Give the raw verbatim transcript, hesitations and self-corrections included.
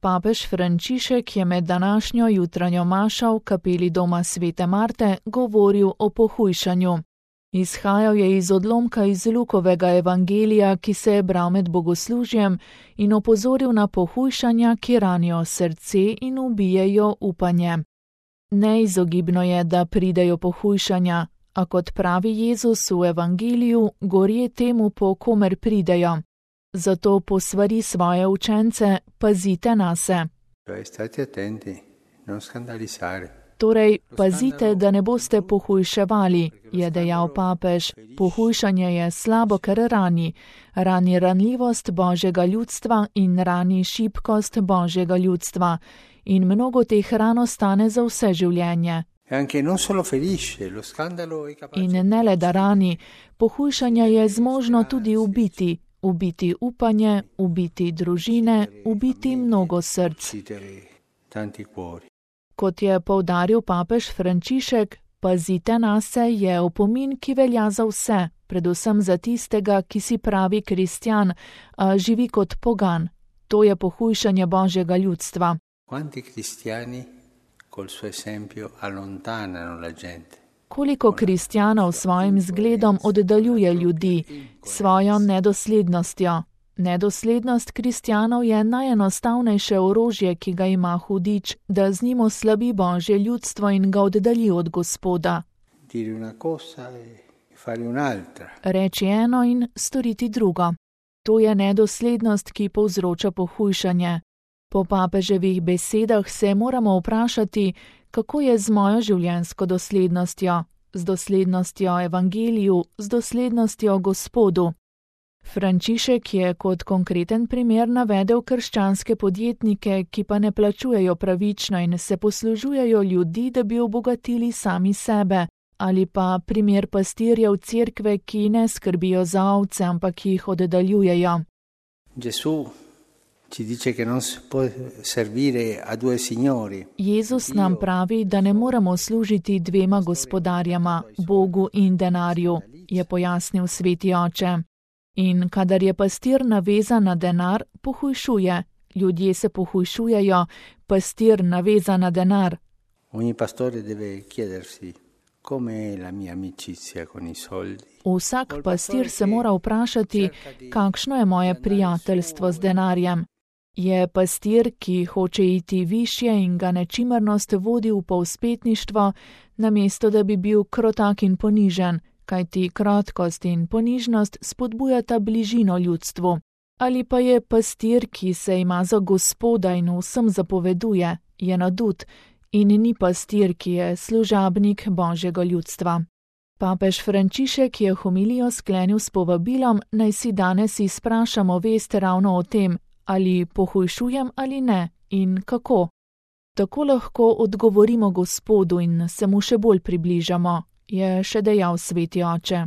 Papež Frančišek je med današnjo jutranjo mašo v kapeli doma svete Marte govoril o pohujšanju. Izhajal je iz odlomka iz Lukovega evangelija, ki se je bral med bogoslužjem, in opozoril na pohujšanja, ki ranijo srce in ubijejo upanje. Neizogibno je, da pridejo pohujšanja, a kot pravi Jezus v evangeliju, gorje temu, po komer pridejo. Zato posvari svoje učence, pazite nase. Torej, pazite, da ne boste pohujševali, je dejal papež. Pohujšanje je slabo, ker rani. Rani ranljivost Božjega ljudstva in rani šibkost Božjega ljudstva. In mnogo teh ran ostane za vse življenje. In ne le da rani, pohujšanje je zmožno tudi ubiti. Ubiti upanje, ubiti družine, ubiti mnogo src. Kot je poudaril papež Frančišek, pazite nase je opomin, ki velja za vse, predvsem za tistega, ki si pravi kristjan, a živi kot pogan. To je pohujšanje Božjega ljudstva. Koliko kristjanov s svojim zgledom oddaljuje ljudi, svojo nedoslednostjo. Nedoslednost kristjanov je najenostavnejše orožje, ki ga ima hudič, da z njim oslabi Božje ljudstvo in ga oddalji od Gospoda. Reči eno in storiti drugo. To je nedoslednost, ki povzroča pohujšanje. Po papeževih besedah se moramo vprašati, kako je z mojo življenjsko doslednostjo, z doslednostjo evangeliju, z doslednostjo Gospodu. Frančišek je kot konkreten primer navedel krščanske podjetnike, ki pa ne plačujejo pravično in se poslužujejo ljudi, da bi obogatili sami sebe, ali pa primer pastirjev cerkve, ki ne skrbijo za ovce, ampak jih oddaljujejo. Jezus nam pravi, da ne moremo služiti dvema gospodarjama, Bogu in denarju, je pojasnil sveti oče. In kadar je pastir navezan na denar, pohujšuje. Ljudje se pohujšujejo, pastir navezan na denar. Vsak pastir se mora vprašati, kakšno je moje prijateljstvo z denarjem. Je pastir, ki hoče iti višje in ga nečimrnost vodi v povzpetništvo, namesto da bi bil krotak in ponižen, kajti krotkost in ponižnost spodbujata bližino ljudstvu. Ali pa je pastir, ki se ima za Gospoda in vsem zapoveduje, je nadut in ni pastir, ki je služabnik Božjega ljudstva. Papež Frančišek je homilijo sklenil s povabilom, naj si danes izprašamo vest ravno o tem, ali pohujšujem ali ne in kako. Tako lahko odgovorimo Gospodu in se mu še bolj približamo, je še dejal sveti oče.